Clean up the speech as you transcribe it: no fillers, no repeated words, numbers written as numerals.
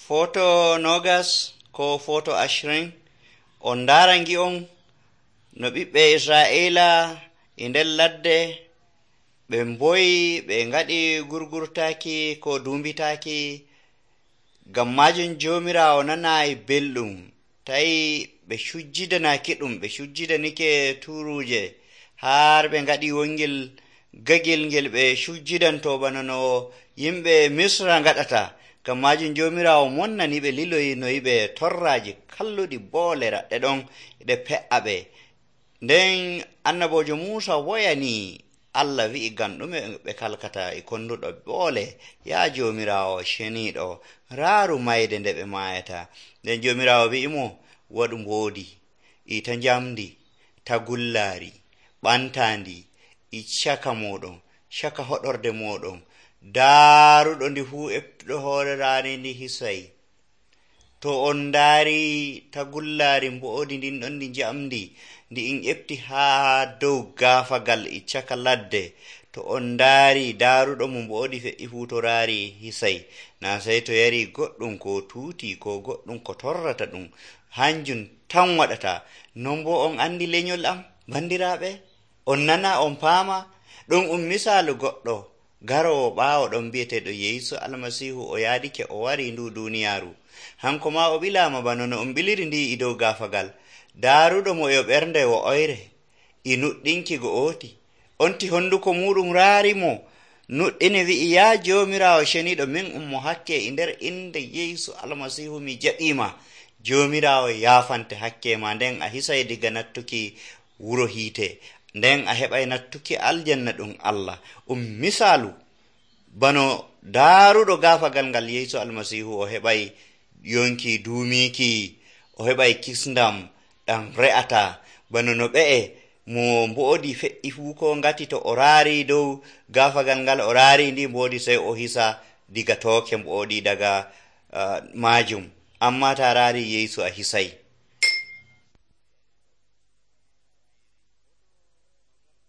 Foto nogas ko foto 20 on ndarangi on no ɓiɓɓe Isra'ila e nder ladde ɓe mboyi ɓe ngaɗi gurgurtaaki ko dumbitaaki ngam majum Joomiraawo nanayi belɗum tawi ɓe sujjidanaki ɗum, ɓe sujjidanike turuje har ɓe ngaɗi wongel gagel ngel ɓe sujjidanto bana no yimɓe Misra ngaɗata. Ngam majum Joomiraawo monnani ɓe liloyi no yiɓe torraji kalluɗi boole raɗɗe ɗon ɗe pe'a ɓe. Nden annabojo Muusa woyani Allah wi'i ngam ɗume ɓe kalkata e konduɗo boole. Ya Joomiraawo ceniiɗo, raaru mayde nde ɓe maayata. Nden Joomiraawo wi'imo waɗu mboodi e ta njamdi, tagullaari, ɓantandi e caka moɗon, caka hoɗorde moɗon, daaruɗo ndi fuu eftuɗo hoore raani ndi hisay. To on ndaari tagullaari mboodi ndin ɗon ndi njamdi ndi in efti haa dow gaafagal e caka ladde, to on ndaari daaruɗo mo mboodi fe'i fuu to raari hisay. Na sey to yari goɗɗum ko tuuti ko goɗɗum ko torrata ɗum, hanjum tan waɗata. Non bo on andi lenyol am bandiraaɓe, on nana on paama ɗum misaalu goɗɗo garowo ɓaawo ɗon bi'eteeɗo Yeesu Almasiihu o yaadike o wari ndu duniyaaru. Hanko ma o ɓilaama bana no on ɓiliri ndi e dow gaafagal. Daaruɗo mo e ɓernde wo'oyre e nuɗɗinki go'oti, onti honduko muɗum raari mo nuɗɗini wi'i, ya Joomiraawo ceniiɗo, min mo hakke e nder inde Yeesu Almasiihu mi jaɓiima. Joomiraawo yaafante hakke ma, nden a hisay diga nattuki wuro hiite, nden a heɓay nattuki aljanna ɗum Allah. Misaalu bano daaruɗo gaafagal ngal Yeesu Almasiihu o heɓay yonki duumiki, o heɓay kisndam ɗam re'ata bano no ɓe'e mo mboodi fe'i fuu ko ngati to o raari dow gaafagal ngal, o raari ndi mboodi sey o hisa diga tooke mboodi daga majum. Amma ta raari Yeesu a hisay.